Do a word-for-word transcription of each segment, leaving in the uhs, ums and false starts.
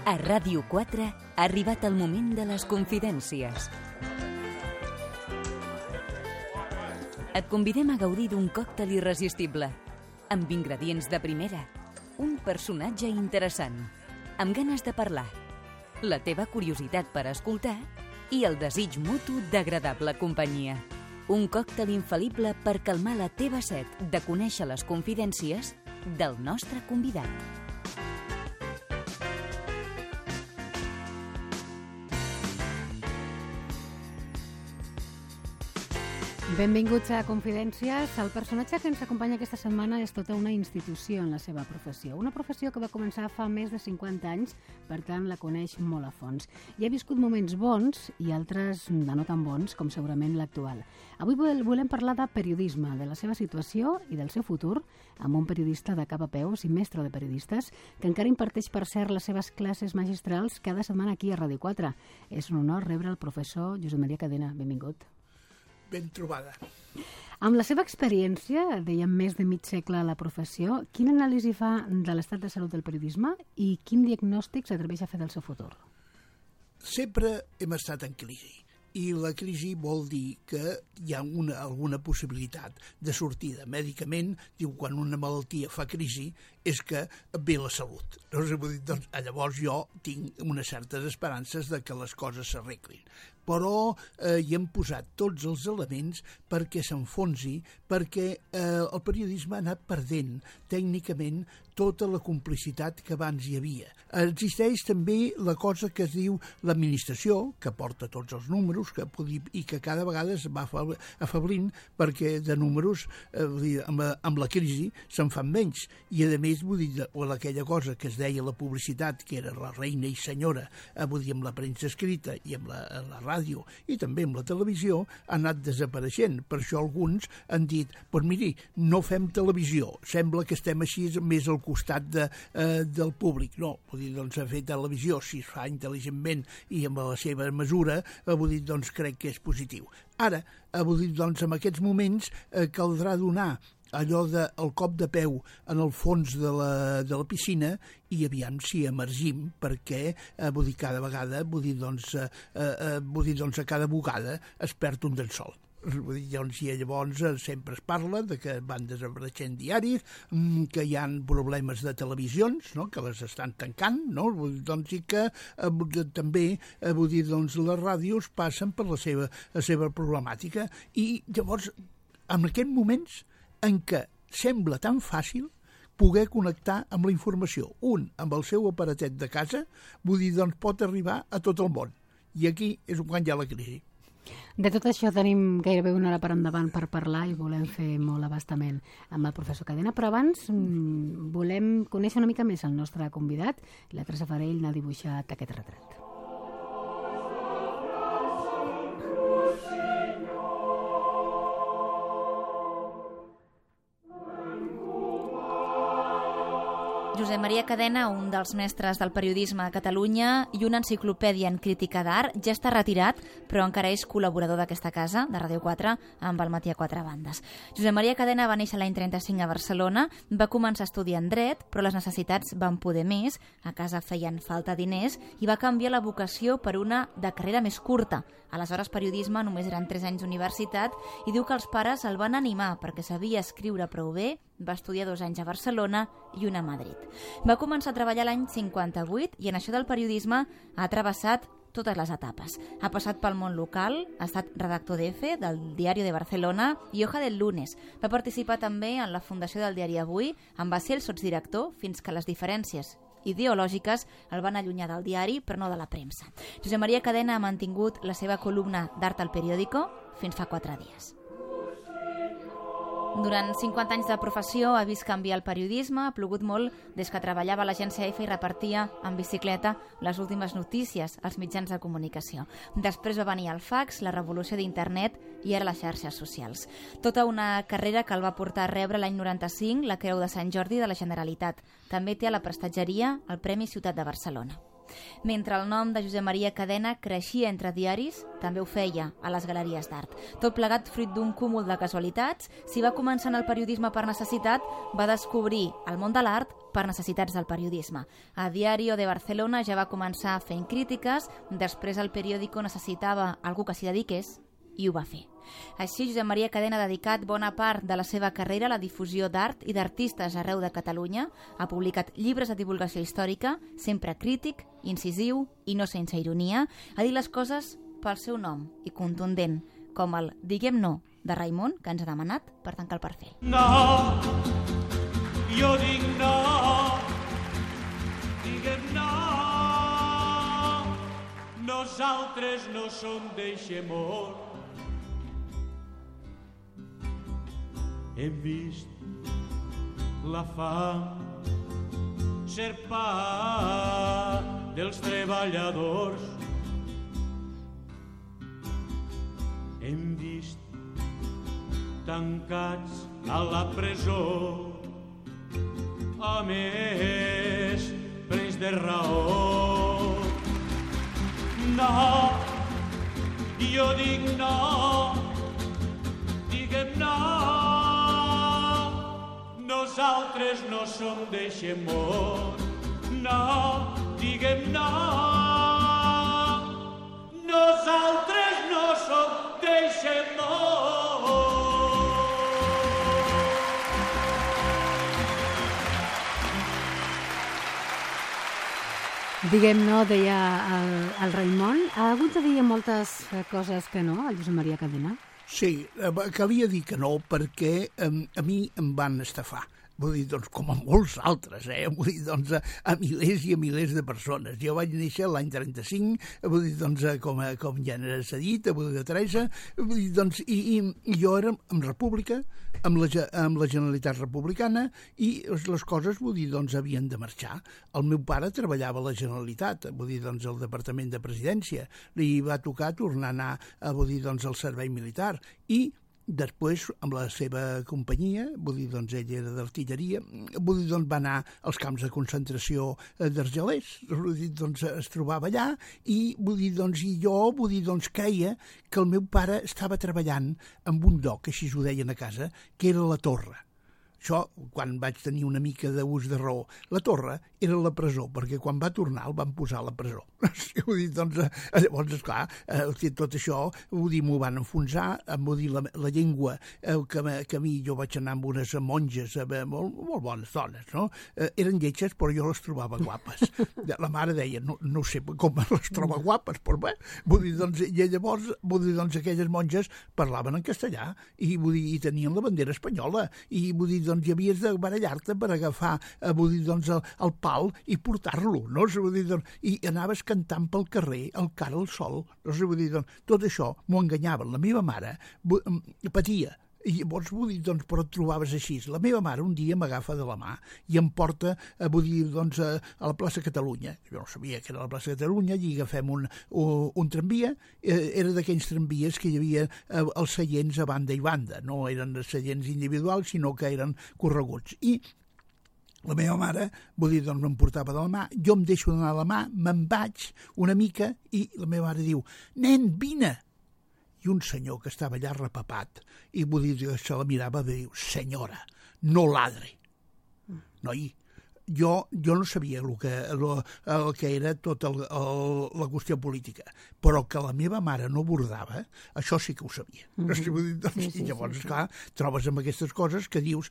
A Ràdio quatre ha arribat el moment de les confidències. Et convidem a gaudir d'un còctel irresistible, amb ingredients de primera, un personatge interessant, amb ganes de parlar, la teva curiositat per escoltar i el desig mutu d'agradable companyia. Un còctel infal·lible per calmar la teva set de conèixer les confidències del nostre convidat. Benvinguts a Confidències. El personatge que ens acompanya aquesta setmana és tota una institució en la seva professió. Una professió que va començar fa més de cinquanta anys, per tant la coneix molt a fons. I ha viscut moments bons i altres de no tan bons, com segurament l'actual. Avui volem parlar de periodisme, de la seva situació i del seu futur, amb un periodista de cap a peus i mestre de periodistes, que encara imparteix, per cert, les seves classes magistrals cada setmana aquí a Ràdio quatre. És un honor rebre el professor Josep Maria Cadena. Benvingut. Ben trobada. Amb la seva experiència, dèiem més de mig segle a la professió, quina anàlisi fa de l'estat de salut del periodisme i quin diagnòstic s'atreveix a fer del seu futur? Sempre hem estat en crisi i la crisi vol dir que hi ha una, alguna possibilitat de sortida. Mèdicament, diu, quan una malaltia fa crisi és que ve la salut. Doncs, llavors jo tinc unes certes esperances de que les coses s'arreglin. Però eh, hi hem posat tots els elements perquè s'enfonsi, perquè eh, el periodisme ha anat perdent tècnicament tota la complicitat que abans hi havia. Existeix també la cosa que es diu l'administració, que porta tots els números que dir, i que cada vegada es va afablint perquè de números eh, dir, amb, la, amb la crisi se'n fan menys. I a més, vull dir, o aquella cosa que es deia la publicitat, que era la reina i senyora, eh, vull dir, amb la premsa escrita i amb la, la ràdio i també amb la televisió, ha anat desapareixent. Per això alguns han dit, doncs miri, no fem televisió, sembla que estem així més al costat de, eh, del públic. No, vull dir, doncs fer televisió, si es fa intel·ligentment i amb la seva mesura, eh, vull dir, doncs crec que és positiu. Ara, eh, vull dir, doncs en aquests moments eh, caldrà donar allò del cop de peu en el fons de la, de la piscina i aviam si emergim, perquè eh, vull dir, cada vegada, vull dir, doncs, eh, eh, vull dir, doncs a cada bugada es perd un llençol. Vull dir, doncs, i llavors sempre es parla de que van desapareixent diaris, que hi ha problemes de televisions, no?, que les estan tancant, no?, vull dir, doncs, i que eh, també eh, vull dir, doncs, les ràdios passen per la seva, la seva problemàtica. I llavors, en aquests moments en què sembla tan fàcil poder connectar amb la informació. Un, amb el seu aparatet de casa, vull dir, doncs pot arribar a tot el món. I aquí és quan hi ha la crisi. De tot això tenim gairebé una hora per endavant per parlar i volem fer molt abastament amb el professor Cadena, però abans mmm, volem conèixer una mica més el nostre convidat. La Teresa Farell n'ha dibuixat aquest retrat. Josep Maria Cadena, un dels mestres del periodisme a Catalunya i una enciclopèdia en crítica d'art, ja està retirat, però encara és col·laborador d'aquesta casa, de Ràdio quatre, amb el Matí a quatre bandes. Josep Maria Cadena va néixer l'any trenta-cinc a Barcelona, va començar a estudiar en dret, però les necessitats van poder més, a casa feien falta diners, i va canviar la vocació per una de carrera més curta. Aleshores, periodisme només eren tres anys d'universitat i diu que els pares el van animar perquè sabia escriure prou bé, va estudiar dos anys a Barcelona i un a Madrid. Va començar a treballar l'any cinquanta-vuit i en això del periodisme ha travessat totes les etapes. Ha passat pel món local, ha estat redactor d'Efe, del Diario de Barcelona i Hoja del Lunes. Va participar també en la fundació del diari Avui, en va ser el sotsdirector fins que les diferències ideològiques el van allunyar del diari, però no de la premsa. Josep Maria Cadena ha mantingut la seva columna d'Art al Periódico fins fa quatre dies. Durant cinquanta anys de professió ha vist canviar el periodisme, ha plogut molt des que treballava a l'agència Efe i repartia en bicicleta les últimes notícies als mitjans de comunicació. Després va venir el fax, la revolució d'internet i ara les xarxes socials. Tota una carrera que el va portar a rebre l'any noranta-cinc la Creu de Sant Jordi de la Generalitat. També té a la prestatgeria el Premi Ciutat de Barcelona. Mentre el nom de Josep Maria Cadena creixia entre diaris, també ho feia a les galeries d'art. Tot plegat fruit d'un cúmul de casualitats, si va començar en el periodisme per necessitat, va descobrir el món de l'art per necessitats del periodisme. A Diario de Barcelona ja va començar fent crítiques, després el periòdico necessitava algú que s'hi dediqués i ho va fer. Així, Josep Maria Cadena ha dedicat bona part de la seva carrera a la difusió d'art i d'artistes arreu de Catalunya. Ha publicat llibres de divulgació històrica, sempre crític, incisiu i no sense ironia. Ha dit les coses pel seu nom i contundent, com el Diguem no de Raimon, que ens ha demanat per tancar el perfil. No, jo dic no, diguem no, nosaltres no som d'eixemor. Hem vist la fam ser pa dels treballadors. Hem vist tancats a la presó a més presos de raó. No, jo dic no, diguem no, nosaltres no som d'eixemor. No, diguem no, nosaltres no som d'eixemor. Diguem no, deia el, el Raimon. Ha hagut de dir moltes coses que no, el Josep Maria Cadena? Sí, calia dir que no perquè a, a mi em van estafar. Vull dir, doncs, com a molts altres, eh? Vull dir, doncs, a, a milers i a milers de persones. Jo vaig néixer l'any trenta-cinc, vull dir, doncs, com, a, com ja n'era cedit, vull dir, Teresa, vull dir, doncs, i, i, i jo era en república, amb la, amb la Generalitat Republicana, i les coses, vull dir, doncs, havien de marxar. El meu pare treballava a la Generalitat, vull dir, doncs, al Departament de Presidència, li va tocar tornar a anar, a, vull dir, doncs, al servei militar, i després, amb la seva companyia, vull dir, doncs, ell era d'artilleria, vull dir, doncs, va anar als camps de concentració d'Argelers, vull dir, doncs, es trobava allà, i vull dir, doncs, i jo, vull dir, doncs, creia que el meu pare estava treballant en un lloc, així ho deien a casa, que era la Torre. Això, quan vaig tenir una mica d'ús de raó. La Torre era la presó, perquè quan va tornar el van posar a la presó. Vull dir, doncs, llavors, esclar, eh, tot això, vull dir, m'ho van enfonsar, vull dir, la, la llengua, eh, que, que a mi jo vaig anar amb unes monges, eh, molt, molt bones dones, no? Eh, eren lletges, però jo les trobava guapes. La mare deia, no, no sé com les troba guapes, però bé, vull dir, doncs, i llavors, vull dir, doncs, aquelles monges parlaven en castellà, i vull dir, i tenien la bandera espanyola, i vull dir, doncs hi havies de barallar-te per agafar, eh, vull dir, doncs, el, el pal i portar-lo, no? Vull dir, doncs, i anaves cantant pel carrer, el cara al sol, no? Vull dir, doncs, tot això m'ho enganyaven. La meva mare patia, i llavors, vull dir, doncs, però et trobaves així. La meva mare un dia m'agafa de la mà i em porta, eh, vull dir, doncs, a, a la plaça Catalunya. Jo no sabia que era la plaça Catalunya, i agafem un, un, un tramvia, eh, era d'aquells tramvies que hi havia eh, els seients a banda i banda, no eren seients individuals, sinó que eren correguts. I la meva mare, vull dir, doncs, em portava de la mà, jo em deixo d'anar a la mà, me'n vaig una mica, i la meva mare diu, nen, vine! I un senyor que estava allà repapat, i vull dir que se la mirava i diu, senyora, no ladre. Noi, jo, jo no sabia el que, el, el que era tota el, el, la qüestió política, però que la meva mare no bordava, això sí que ho sabia. Mm-hmm. Vull dir, doncs, sí, sí, I llavors, sí, sí. Clar, trobes amb aquestes coses que dius,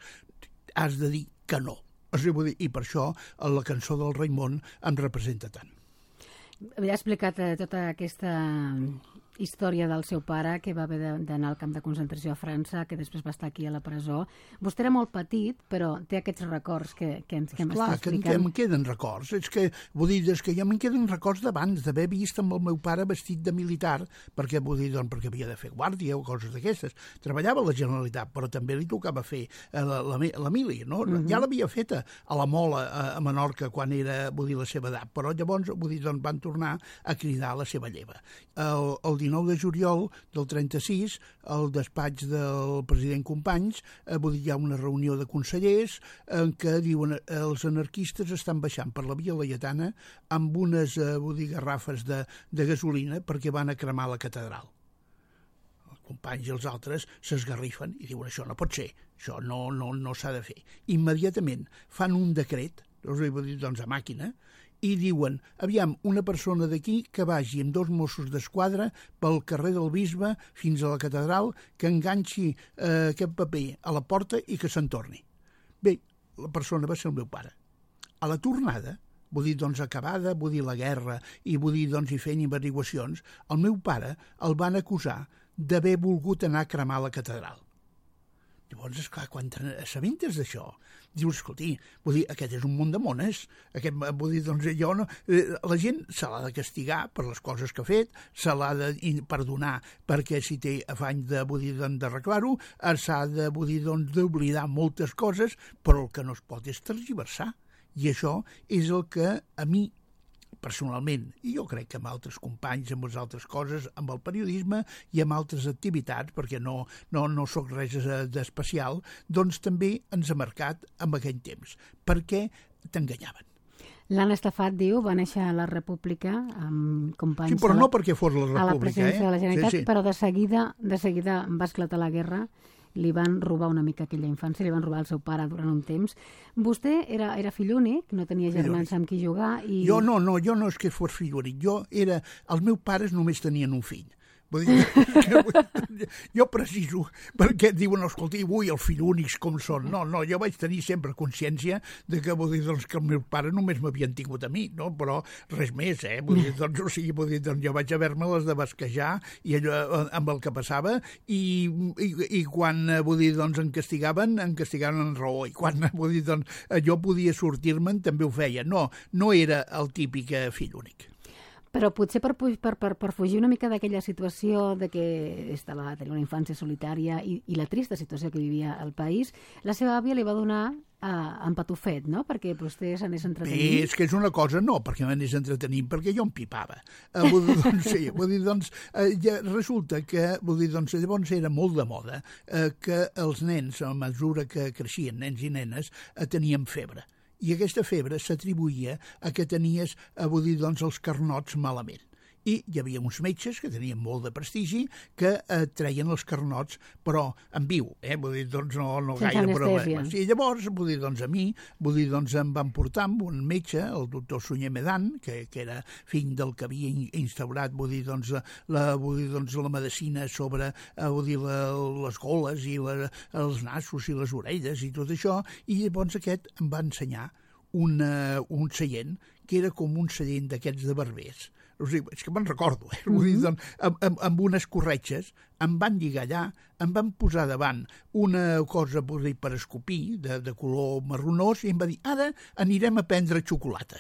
has de dir que no. O sigui, vull dir, i per això la cançó del Raimon em representa tant. Havia explicat eh, tota aquesta història del seu pare, que va haver d'anar al camp de concentració a França, que després va estar aquí a la presó. Vostè era molt petit, però té aquests records que, que ens que m'està explicant. Clar, que em queden records. És que, vull dir, és que ja me'n queden records d'abans, d'haver vist amb el meu pare vestit de militar, perquè, vull dir, doncs, perquè havia de fer guàrdia o coses d'aquestes. Treballava a la Generalitat, però també li tocava fer la, la, la mili, no? Uh-huh. Ja l'havia feta a la Mola, a, a Menorca, quan era, vull dir, la seva edat, però llavors, vull dir, doncs, van tornar a cridar la seva lleva. El, el dinou de juliol del trenta-sis, al despatx del president Companys, eh, vull dir, hi ha una reunió de consellers en què diuen eh, els anarquistes estan baixant per la Via Laietana amb unes eh, vull dir, garrafes de, de gasolina perquè van a cremar la catedral. Els Companys i els altres s'esgarrifen i diuen això no pot ser, això no, no, no s'ha de fer. Immediatament fan un decret, vull dir, doncs a màquina, i diuen, aviam, una persona d'aquí que vagi amb dos Mossos d'Esquadra pel carrer del Bisbe fins a la catedral, que enganxi eh, aquest paper a la porta i que se'n torni. Bé, la persona va ser el meu pare. A la tornada, vull dir, doncs, acabada, vull dir, la guerra, i vull dir, doncs, i fent averiguacions, el meu pare el van acusar d'haver volgut anar a cremar la catedral. Llavors, esclar, quan t'assabentes d'això, dius, escolti, vull dir, aquest és un món de mones. Aquest, vull dir, doncs, jo no... La gent se l'ha de castigar per les coses que ha fet, se l'ha de perdonar perquè si té afany de, vull dir, d'arreglar-ho, s'ha de, vull dir, doncs, d'oblidar moltes coses, però el que no es pot és tergiversar. I això és el que a mi, personalment, i jo crec que amb altres companys, amb les altres coses, amb el periodisme i amb altres activitats, perquè no, no, no soc res d'especial, doncs també ens ha marcat en aquell temps, perquè t'enganyaven. L'Anna Estafat, diu, va néixer a la República amb companys... Sí, però no perquè fos la República, a la presidència eh? de la Generalitat, sí, sí. Però de seguida, de seguida va esclatar la guerra, li van robar una mica aquella infància, li van robar el seu pare durant un temps. Vostè era, era fill únic, no tenia germans amb qui jugar i... Jo no, no, jo no és que fos fill únic, jo era... Els meus pares només tenien un fill. Vull dir, que, jo preciso, perquè diuen, escolta, avui els fills únics com són. No, no, jo vaig tenir sempre consciència de que, vull dir, doncs, que els meus pares només m'havien tingut a mi, no? Però res més, eh? Vull dir, doncs, o sigui, vull dir, doncs, jo vaig haver-me-les de basquejar i allò amb el que passava i, i, i quan, vull dir, doncs, em castigaven, em castigaven en raó, i quan, vull dir, doncs, jo podia sortir-me'n també ho feia. No, no era el típic fill únic. Però potser per, per, per, per fugir una mica d'aquella situació de que estava tenint una infància solitària i, i la trista situació que vivia el país, la seva àvia li va donar eh, en patufet, no?, perquè vostè s'anés entretenint. Bé, és que és una cosa, no, perquè m'anés entretenint, perquè jo em pipava. Eh, vull dir, doncs, sí, vull dir, doncs, eh, ja resulta que, vull dir, doncs, llavors era molt de moda eh, que els nens, a mesura que creixien, nens i nenes, eh, tenien febre. I aquesta febre s'atribuïa a que tenies, a vull dir, doncs, els carnots malament. I hi havia uns metges que tenien molt de prestigi que eh, treien els carnots, però en viu, eh? Vull dir, doncs, no, no sense gaire anestèsia. problemes. I llavors, vull dir, doncs, a mi, vull dir, doncs, em van portar amb un metge, el doctor Sunyer Medan, que, que era fill del que havia instaurat, vull dir, doncs, la, vull dir, doncs, la medicina sobre, eh, vull dir, la, les goles i la, els nassos i les orelles i tot això, i llavors aquest em va ensenyar una, un seient que era com un seient d'aquests de barbers. O sigui, és que me'n recordo, eh? Mm-hmm. Vull dir, doncs, amb, amb, amb unes corretges, em van lligar allà, em van posar davant una cosa dir, per escopir, de, de color marronós, i em va dir, ara anirem a prendre xocolata.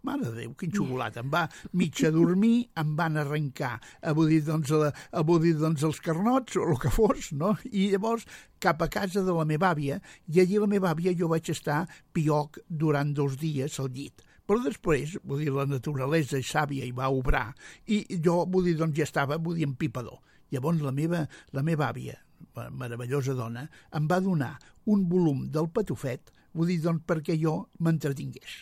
Mare de Déu, quin xocolata. Em va mig a dormir, em van arrencar a, vull dir, doncs, a, a, vull dir, doncs, els carnots, o el que fos, no? I llavors cap a casa de la meva àvia, i allí la meva àvia jo vaig estar pioc durant dos dies al llit. Però després, vull dir, la naturalesa és sàvia i va obrar, i jo, vull dir, doncs ja estava, vull dir, empipador. Llavors la meva, la meva àvia, meravellosa dona, em va donar un volum del Patufet, vull dir, doncs, perquè jo m'entretingués.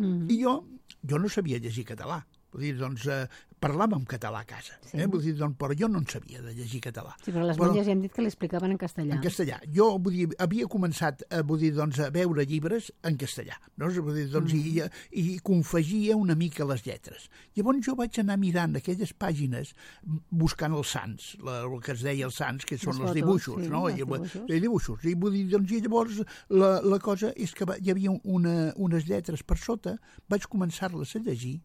Mm-hmm. I jo, jo no sabia llegir català. Vull dir, doncs, eh, parlàvem català a casa, sí. eh? Vull dir, doncs, però jo no en sabia de llegir català. Sí, però les però, monges ja hem dit que l'explicaven en castellà. En castellà. Jo, vull dir, havia començat a, vull dir, doncs, a veure llibres en castellà, no? Vull dir, doncs, mm. i, i confegia una mica les lletres. Llavors jo vaig anar mirant aquelles pàgines buscant els sants, la, el que es deia els sants, que són els dibuixos, sí, no? I, dibuixos. I dibuixos. I, vull dir, doncs, i llavors la, la cosa és que hi havia una, unes lletres per sota, vaig començar-les a llegir,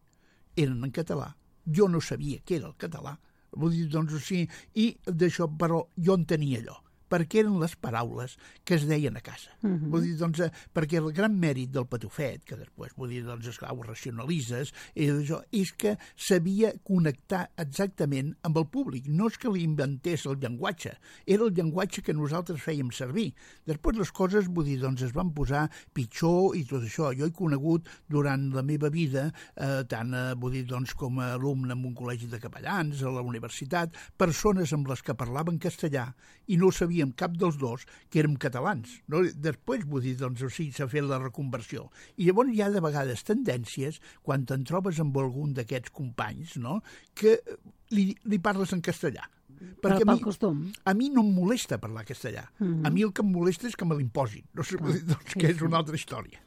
eren en català. Jo no sabia què era el català. Vull dir, doncs, sí, i d'això, però jo en tenia allò. perquè eren les paraules que es deien a casa. Uh-huh. Vull dir, doncs, eh, perquè el gran mèrit del Patufet, que després, vull dir, doncs, esclar, ho racionalitzes, i això, és que sabia connectar exactament amb el públic. No és que li inventés el llenguatge, era el llenguatge que nosaltres fèiem servir. Després les coses, vull dir, doncs, es van posar pitjor i tot això. Jo he conegut durant la meva vida, eh, tant, eh, vull dir, doncs, com a alumne en un col·legi de capellans, a la universitat, persones amb les que parlaven castellà i no sabíem cap dels dos que érem catalans. No? Després, vull dir, doncs, o sigui, s'ha fet la reconversió. I llavors hi ha de vegades tendències, quan te'n trobes amb algun d'aquests companys, no?, que li, li parles en castellà. Perquè pel a mi, costum. a mi no em molesta parlar castellà. Mm-hmm. A mi el que em molesta és que me l'imposin. No sé, vull dir, doncs, sí, que és sí. una altra història.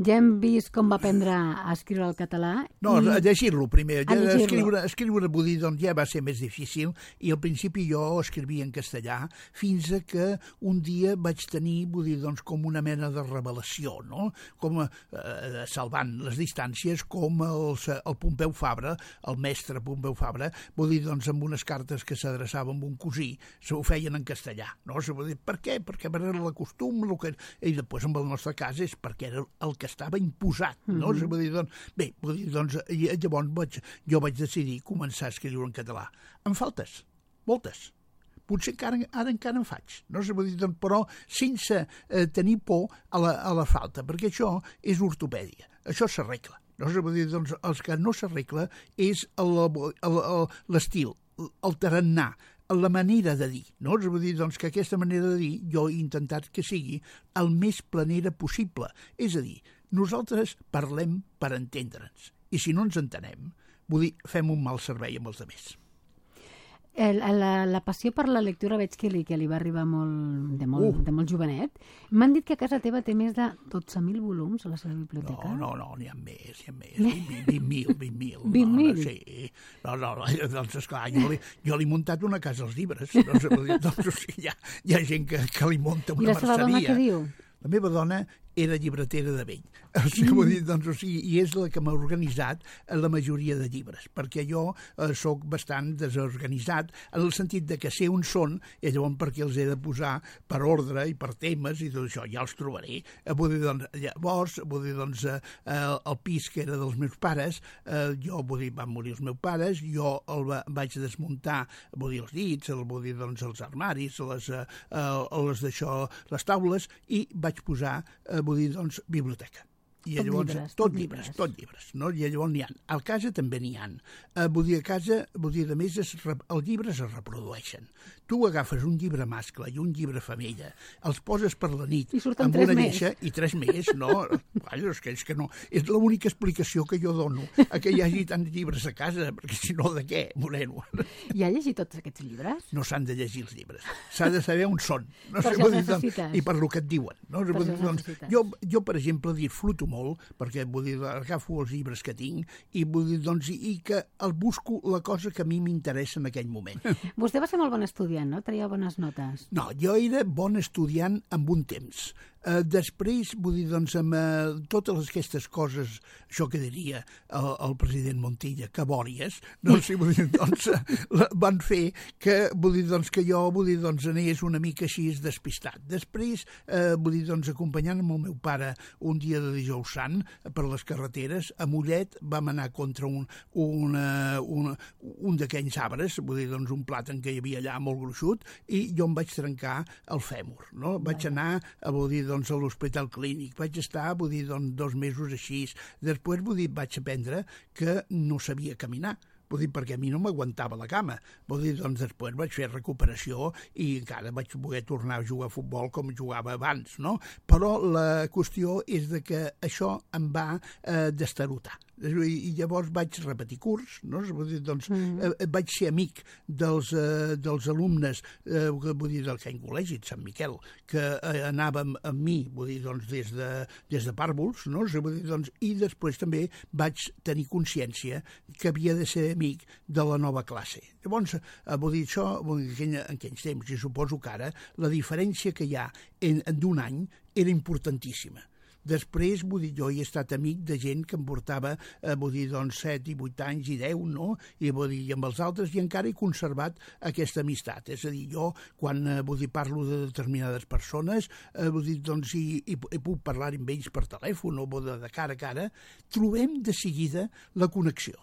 Ja hem vist com va aprendre a escriure el català. No, i... a llegir-lo primer. A llegir-lo. Escriure, escriure vull dir, doncs, ja va ser més difícil i al principi jo escrivia en castellà fins a que un dia vaig tenir, vull dir, doncs, com una mena de revelació, no? Com eh, salvant les distàncies, com el, el Pompeu Fabra, el mestre Pompeu Fabra, vull dir, doncs, amb unes cartes que s'adreçava amb un cosí, se ho feien en castellà, no? Se vull dir, per què? Perquè era el costum, el que... i després en el nostre cas és perquè era el que estava imposat, no? Mm-hmm. Vull dir, doncs, bé, vull dir, doncs, llavors vaig, jo vaig decidir començar a escriure en català. Em faltes, moltes. Potser que ara, ara encara en faig, no? Vull dir, doncs, però sense eh, tenir por a la, a la falta, perquè això és ortopèdia, això s'arregla. No? Vull dir, doncs, els que no s'arregla és l'estil, el tarannà, la manera de dir, no? Vull dir, doncs, que aquesta manera de dir jo he intentat que sigui el més planera possible. És a dir, nosaltres parlem per entendre'ns, i si no ens entenem, vull dir, fem un mal servei amb els altres. El, la, la passió per la lectura veig que li, que li va arribar molt, de, molt, uh. de molt jovenet. M'han dit que a casa teva té més de dotze mil volums a la seva biblioteca. No, no, no, n'hi ha més, n'hi ha més. vint mil, vint mil. vint mil? No, no, sí. No, no, no, doncs, esclar, jo li, jo li he muntat una casa als llibres. Doncs, doncs o sigui, hi, ha, hi ha gent que, que li munta una merceria. I la seva dona què diu? La meva dona era llibretera de vell. O sigui, vull dir, doncs, o sigui, i és la que m'ha organitzat la majoria de llibres, perquè jo eh, sóc bastant desorganitzat en el sentit de que sé on són i llavors perquè els he de posar per ordre i per temes i tot això, ja els trobaré. Eh, vull dir, doncs, llavors, vull dir, doncs, eh, el pis que era dels meus pares, eh, jo, vull dir, van morir els meus pares, jo el va, vaig desmuntar, vull dir, els dits, el, vull dir, doncs, els armaris, les, eh, les d'això, les taules, i vaig posar, eh, vull dir, doncs, biblioteca. I tot llavors, llibres, tot llibres, tot llibres, no? I llavors n'hi ha. Al casa també n'hi ha. Eh, vull dir, a casa, vull dir, a més, es, els llibres es reprodueixen. Tu agafes un llibre mascle i un llibre femella, els poses per la nit amb una lleixa i tres més, no? Vaja, és que, és que no. És l'única explicació que jo dono a que hi hagi tants llibres a casa, perquè si no, de què, moreno? I ha llegit tots aquests llibres? No s'han de llegir els llibres. S'ha de saber on són. No? Per això els necessites. I per lo que et diuen. No? Per dir, doncs, jo, jo, per exemple, disfruto molt, perquè vull dir, agafo els llibres que tinc i vull dir, doncs, i que el busco la cosa que a mi m'interessa en aquell moment. Vostè va ser molt bon estudiant, no? Tenia bones notes. No, jo era bon estudiant amb un temps. Uh, després, vull dir, doncs, amb uh, totes aquestes coses, això que diria el, el president Montilla, que bòries, doncs, vull dir, doncs, uh, van fer que, vull dir, doncs, que jo, vull dir, doncs, anés una mica així despistat. Després, uh, vull dir, doncs, acompanyant amb el meu pare un dia de dijous sant per les carreteres, a Mollet vam anar contra un, un, uh, un, un d'aquells arbres, vull dir, doncs, un plàtan que hi havia allà molt gruixut, i jo em vaig trencar el fèmur, no? Vaig anar, a, vull dir, doncs, a l'hospital clínic. Vaig estar, vull dir, doncs, dos mesos així. Després, vull dir, vaig aprendre que no sabia caminar. Vull dir, perquè a mi no m'aguantava la cama. Vull dir, doncs, després vaig fer recuperació i encara vaig poder tornar a jugar a futbol com jugava abans, no? Però la qüestió és de que això em va eh, destarotar. I llavors vaig repetir curs, no? Vull dir, doncs, mm-hmm. eh, vaig ser amic dels, eh, dels alumnes eh, vull dir, del Can Col·legi de Sant Miquel, que eh, anàvem amb mi, vull dir, doncs, des de, des de pàrvuls, no? Vull dir, doncs, i després també vaig tenir consciència que havia de ser amic de la nova classe. Llavors, eh, vull dir, això, vull dir, en aquells temps, i suposo que ara, la diferència que hi ha en, en d'un any era importantíssima. Després, vull dir, jo he estat amic de gent que em portava, eh, vull dir, doncs, set i vuit anys i deu, no? I, vull dir, i amb els altres, i encara he conservat aquesta amistat. És a dir, jo, quan, eh, vull dir, parlo de determinades persones, eh, vull dir, doncs, i, i, i puc parlar amb ells per telèfon o de, de cara a cara, trobem de seguida la connexió,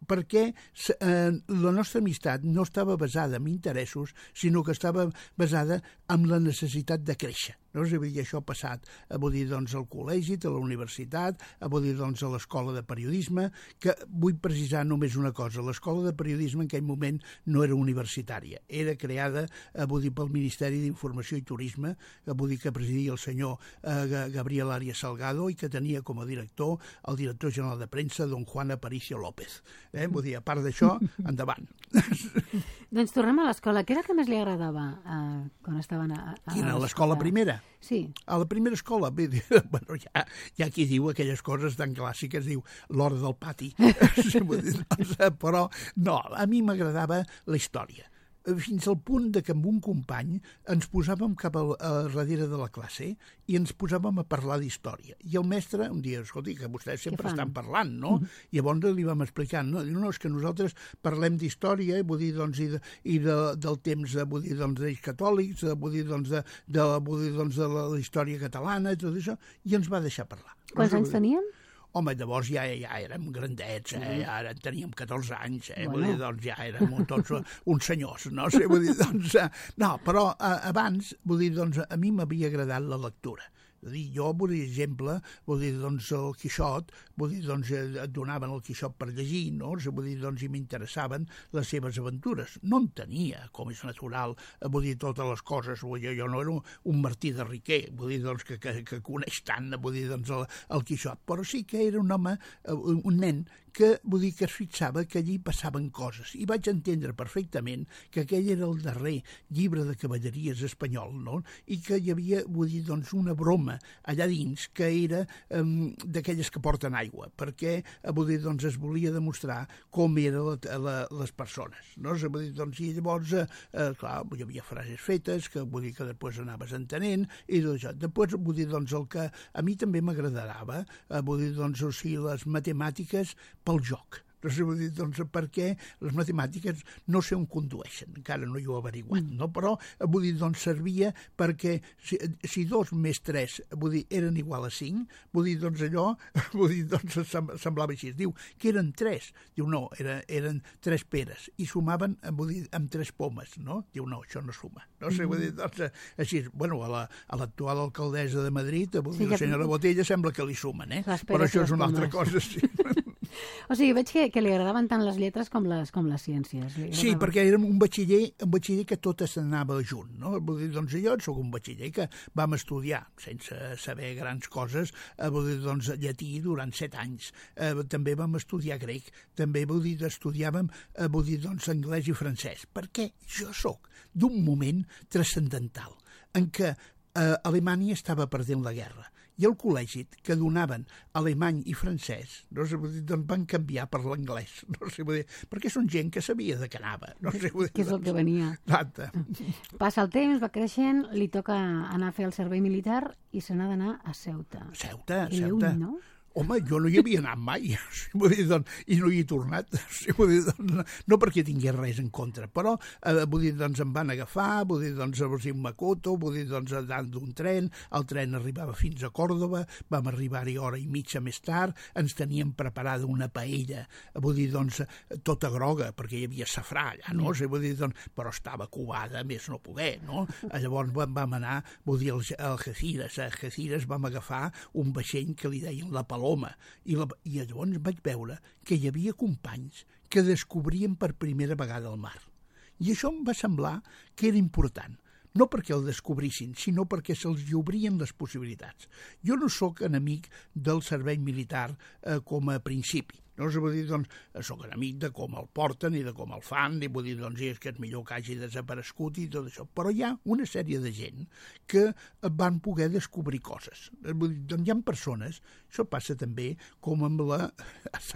perquè eh, la nostra amistat no estava basada en interessos, sinó que estava basada en la necessitat de créixer. No? És a dir, això ha passat a, vull dir, doncs, al col·legi, a la universitat, a, vull dir, doncs, a l'escola de periodisme, que vull precisar només una cosa. L'escola de periodisme en aquell moment no era universitària, era creada, a, vull dir, pel Ministeri d'Informació i Turisme, a, vull dir, que presidia el senyor eh, Gabriel Arias Salgado i que tenia com a director el director general de premsa, don Juan Aparicio López. Eh? Vull dir, a part d'això, endavant. Doncs tornem a l'escola. Què era el que més li agradava eh, quan estaven a, a Quina, a l'escola primera? Sí. A la primera escola, bé, bueno, hi ha, hi ha qui diu aquelles coses tan clàssiques, diu l'hora del pati. Però no, a mi m'agradava la història. Fins al punt de que amb un company ens posàvem cap a, a darrere de la classe i ens posàvem a parlar d'història. I el mestre un dia, escolti, que vostès sempre estan parlant, no? Mm-hmm. I llavors li vam explicar, no? Diu, no, és que nosaltres parlem d'història, vull dir, doncs, i, de, i de, del temps, vull dir, doncs, d'ells catòlics, vull dir, doncs, de, de, vull dir, doncs, de la, la història catalana, i tot això, i ens va deixar parlar. Quants anys teníem? Home, llavors ja, ja érem grandets, eh? Ara teníem catorze anys, eh? Bueno. Vull dir, doncs ja érem tots uns senyors, no sé, vull dir, doncs... No, però eh, abans, vull dir, doncs a mi m'havia agradat la lectura. És a dir, jo, per exemple, vull dir, doncs, el Quixot, vull dir, doncs, et donaven el Quixot per llegir, no? Vull dir, doncs, i m'interessaven les seves aventures. No en tenia, com és natural, vull dir, totes les coses. Vull dir, jo no era un, un Martí de Riquer, vull dir, doncs, que, que, que coneix tant, vull dir, doncs, el, el Quixot. Però sí que era un home, un nen, que, vull dir, que es fixava que allí passaven coses. I vaig entendre perfectament que aquell era el darrer llibre de cavalleries espanyol, no? I que hi havia, vull dir, doncs, una broma allà dins que era um, d'aquelles que porten aigua, perquè, vull dir, doncs, es volia demostrar com eren la, la, les persones, no? Vull dir, doncs, i llavors, eh, clar, hi havia frases fetes que, vull dir, que després anaves entenent, i tot això. Després, vull dir, doncs, el que a mi també m'agradava, eh, vull dir, doncs, o sigui, les matemàtiques pel joc. No sé, vull dir, doncs, perquè les matemàtiques no sé on condueixen, encara no hi ho he averiguat, no? Però, vull dir, doncs, servia perquè si, si dos més tres, vull dir, eren igual a cinc, vull dir, doncs, allò, vull dir, doncs, semblava així. Diu que eren tres. Diu, no, era, eren tres peres, i sumaven, vull dir, amb tres pomes, no? Diu, no, això no suma. No sé, vull dir, doncs, així, bueno, a l'actual la, alcaldessa de Madrid, vull dir, sí, la senyora Botella, sembla que li sumen, eh? Però això és una altra cosa, sí. O sigui, veig que, que li agradaven tant les lletres com les, com les ciències. Sí, perquè érem un batxiller, un batxiller que tot s'anava junt, no? Vull dir, doncs jo soc un batxiller que vam estudiar, sense saber grans coses, eh, vull dir, doncs, llatí durant set anys. Eh, també vam estudiar grec, també vull dir, estudiàvem, eh, vull dir, doncs, anglès i francès, perquè jo sóc d'un moment transcendental en què eh, Alemanya estava perdent la guerra, i el col·legi que donaven alemany i francès, no sé, doncs van canviar per l'anglès, no sé, perquè són gent que sabia de què anava. No sé, que és el que venia. Exacte. Passa el temps, va creixent, li toca anar a fer el servei militar i se n'ha d'anar a Ceuta. Ceuta, I Ceuta. Lluny, no? Home, jo no hi havia anat mai, vull dir, doncs, i no hi he tornat, vull dir, doncs, no perquè tingués res en contra, però eh, vull dir, doncs, em van agafar, vull dir, doncs, a Makoto, vull dir, doncs, dalt d'un tren, el tren arribava fins a Còrdova, vam arribar-hi hora i mitja més tard, ens teníem preparada una paella, vull dir, doncs, tota groga, perquè hi havia safrà allà, no? Sí. Vull dir, doncs, però estava covada, més no poder, no? Llavors vam, vam anar, vull dir, a Algeciras, a Algeciras vam agafar un vaixell que li deien la Paloma, I, la, i llavors vaig veure que hi havia companys que descobrien per primera vegada el mar. I això em va semblar que era important, no perquè el descobrissin, sinó perquè se'ls hi obrien les possibilitats. Jo no sóc enemic del servei militar eh, com a principi. No? Vull dir, doncs, soc enemic de com el porten i de com el fan, i vull dir, doncs, és que és millor que hagi desaparegut i tot això. Però hi ha una sèrie de gent que van poder descobrir coses. Vull dir, doncs hi ha persones, això passa també com amb la...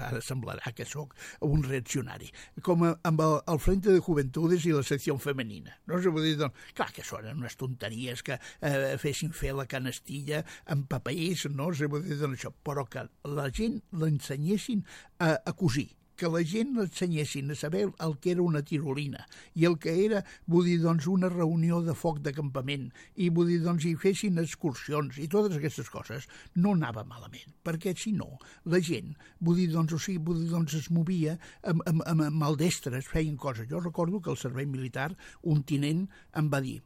Ara semblarà que sóc un reaccionari, com amb el, el Frente de Juventudes i la secció femenina. No? Vull dir, doncs, clar que són unes tonteries que eh, fessin fer la canastilla amb papers, no? Vull dir, doncs, això, però que la gent l'ensenyessin a, a cosir, que la gent l'ensenyessin a saber el que era una tirolina i el que era, vull dir, doncs, una reunió de foc de campament i, vull dir, doncs, hi fessin excursions i totes aquestes coses, no anava malament, perquè si no, la gent, vull dir, doncs, o sigui, vull dir, doncs, es movia amb, amb, amb maldestres, feien coses. Jo recordo que al servei militar un tinent em va dir: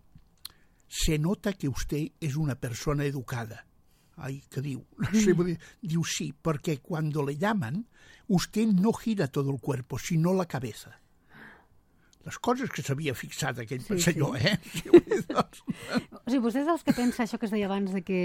se nota que usted es una persona educada. Ay, ¿qué diu? No sé, diu sí, porque cuando le llaman, usted no gira todo el cuerpo, sino la cabeza. Les coses que s'havia fixat aquell sí, senyor, sí. eh? Sí, doncs... O sigui, vostè és dels que pensa això que es deia abans de que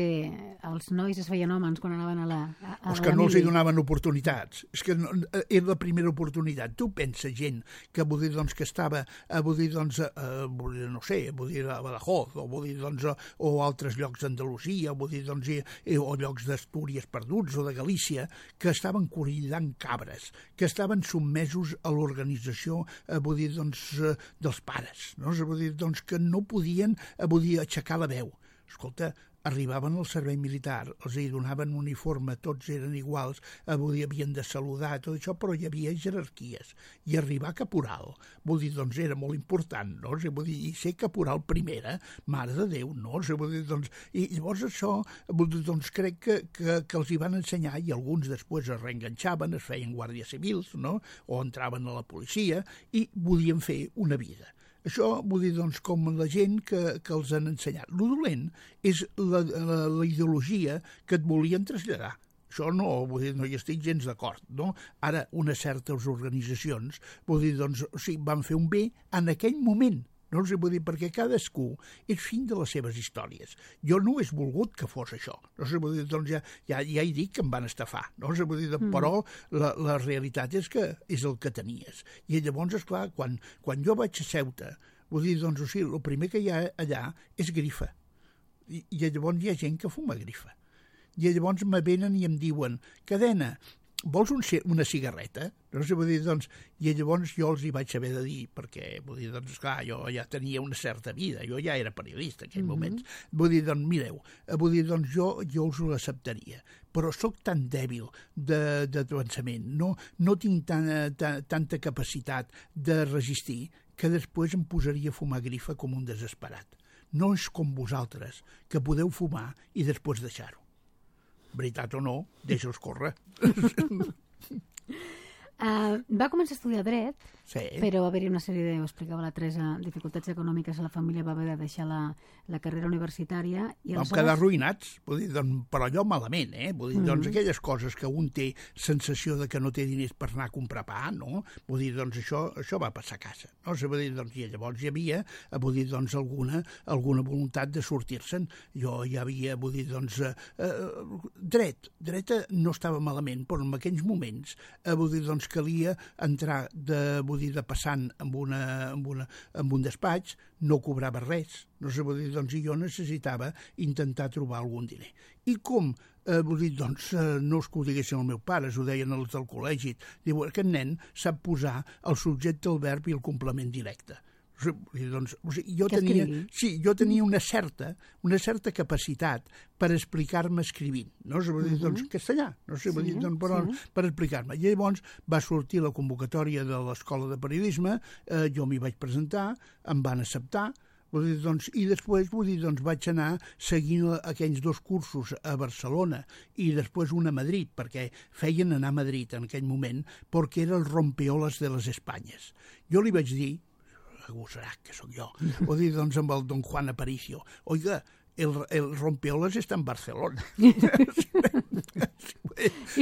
els nois es feien homes quan anaven a la a, a Els que no els hi donaven oportunitats. És que no, era la primera oportunitat. Tu pensa gent que, vull dir, doncs, que estava, vull dir, doncs, a, vull dir, no sé, vull dir, a Badajoz, o vull dir, doncs, a, o altres llocs d'Andalusia, vull dir, doncs, i, o llocs d'Astúries perduts, o de Galícia, que estaven corrillant cabres, que estaven sotmesos a l'organització, vull dir, doncs, dels pares, no? Vull dir, doncs, que no podien, vull dir, aixecar la veu. Escolta, arribaven al servei militar, els hi donaven uniforme, tots eren iguals, vull dir, havien de saludar, tot això, però hi havia jerarquies. I arribar a caporal, vull dir, doncs era molt important, no? Vull dir, i ser caporal primera, mare de Déu, no? Vull dir, doncs, i llavors això, vull dir, doncs crec que, que, que els hi van ensenyar, i alguns després es reenganxaven, es feien guàrdies civils, no? O entraven a la policia, i volien fer una vida. Això, vull dir, doncs, com la gent que, que els han ensenyat. Lo dolent és la, la, la ideologia que et volien traslladar. Això no, vull dir, no hi estic gens d'acord, no? Ara, unes certes organitzacions, vull dir, doncs, o sigui, van fer un bé en aquell moment, no? O sigui, vull dir, perquè cadascú és fill de les seves històries. Jo no he volgut que fos això. No? O sigui, vull dir, doncs ja, ja, ja he dit que em van estafar, no? O sigui, vull dir, però la, la realitat és que és el que tenies. I llavors, esclar, quan, quan jo vaig a Ceuta, vull dir, doncs, o sigui, el primer que hi ha allà és grifa. I, i llavors hi ha gent que fuma grifa. I llavors me venen i em diuen: Cadena, vols un, una cigarreta? No sé, vull dir, doncs, i llavors jo els hi vaig haver de dir, perquè, vull dir, doncs, clar, jo ja tenia una certa vida, jo ja era periodista en aquell mm-hmm. moment. Vull dir, doncs, mireu, vull dir, doncs, jo, jo us ho acceptaria, però sóc tan dèbil de, de pensament, no, no tinc tan, tan, tanta capacitat de resistir, que després em posaria a fumar grifa com un desesperat. No és com vosaltres, que podeu fumar i després deixar-ho. Veritat o no, deixa'ls córrer. Uh, va començar a estudiar dret, sí. Però va haver-hi una sèrie de, ho explicava la Teresa, dificultats econòmiques a la família, va haver de deixar la, la carrera universitària. I Vam aleshores... quedar arruïnats, vull dir, doncs, però allò malament, eh? Vull dir, mm-hmm. doncs aquelles coses que un té sensació de que no té diners per anar a comprar pa, no? Vull dir, doncs això, això va passar a casa. No? Vull dir, doncs, i llavors hi havia, vull dir, doncs, alguna, alguna voluntat de sortir-se'n. Jo hi havia, vull dir, doncs, eh, eh, dret, dret no estava malament, però en aquells moments, eh, vull dir, doncs, calia entrar de, vull dir, de passant amb, una, amb, una, amb un despatx, no cobrava res, no sé, vull dir, doncs, i jo necessitava intentar trobar algun diner. I com, eh, vull dir, doncs, eh, no és que ho diguessin els meus pares, ho deien els del col·legi, diu, aquest nen sap posar el subjecte, el verb i el complement directe. Doncs, o sigui, jo, tenia, sí, jo tenia una certa, una certa capacitat per explicar-me escrivint, no? Vull dir, doncs, castellà, no sé, vull dir, doncs, però, sí. per explicar-me. I llavors va sortir la convocatòria de l'Escola de Periodisme, eh, jo m'hi vaig presentar, em van acceptar, vull dir, doncs, i després vull dir, doncs, vaig anar seguint aquells dos cursos a Barcelona i després un a Madrid, perquè feien anar a Madrid en aquell moment, perquè era el rompeolas de les Espanyes. Jo li vaig dir, agosarà que sóc jo, o dir, doncs, amb el don Juan Aparicio, oiga, el, el rompeolas està en Barcelona.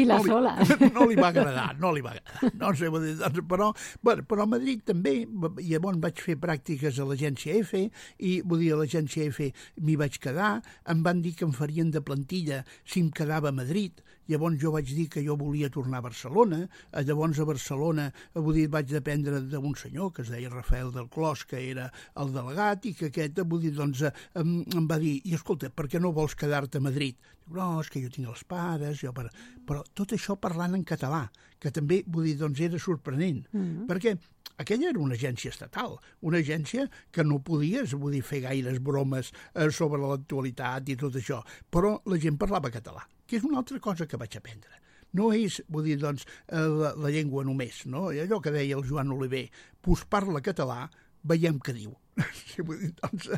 I la no li, sola. No li va agradar, no li va agradar. No sé, vull dir, doncs, però, bueno, però a Madrid també, llavors vaig fer pràctiques a l'agència F, i vull dir, a l'agència F m'hi vaig quedar, em van dir que em farien de plantilla si em quedava a Madrid. Llavors jo vaig dir que jo volia tornar a Barcelona, llavors a Barcelona vull dir, vaig dependre d'un senyor que es deia Rafael del Clos, que era el delegat, i que aquest vull dir, doncs, em, em va dir, i escolta, per què no vols quedar-te a Madrid? Dic, no, és que jo tinc els pares, jo per... però tot això parlant en català, que també vull dir, doncs, era sorprenent, mm-hmm. perquè aquella era una agència estatal, una agència que no podies vull dir, fer gaires bromes eh, sobre l'actualitat i tot això, però la gent parlava català, que és una altra cosa que vaig aprendre. No és, vull dir, doncs, la, la llengua només, no? I allò que deia el Joan Oliver, pues parla català, veiem què diu. Sí, vull dir, doncs,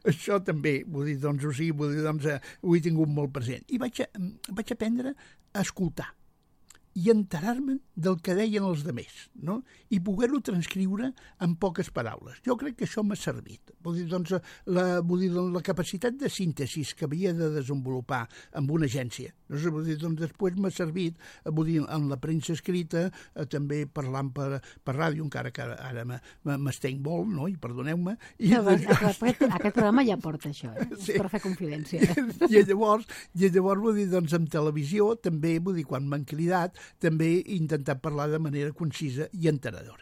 això també, vull dir, doncs, o sigui, vull dir, doncs, ho he tingut molt present. I vaig, a, vaig aprendre a escoltar i enterar-me del que deien els demés, no? I poder-ho transcriure en poques paraules. Jo crec que això m'ha servit. Vull dir, doncs, la, vull dir, la capacitat de síntesi que havia de desenvolupar amb una agència, no sé, vull dir, doncs, després m'ha servit, vull dir, en la premsa escrita, eh, també parlant per, per ràdio, encara que ara, ara m'estenc molt, no? I perdoneu-me. I no, doncs, aquest, aquest programa ja porta això, eh? Sí. Per fer confidència. I, i llavors, i llavors vull dir, doncs, en televisió, també, vull dir, quan m'han cridat, també he intentat parlar de manera concisa i entenedora.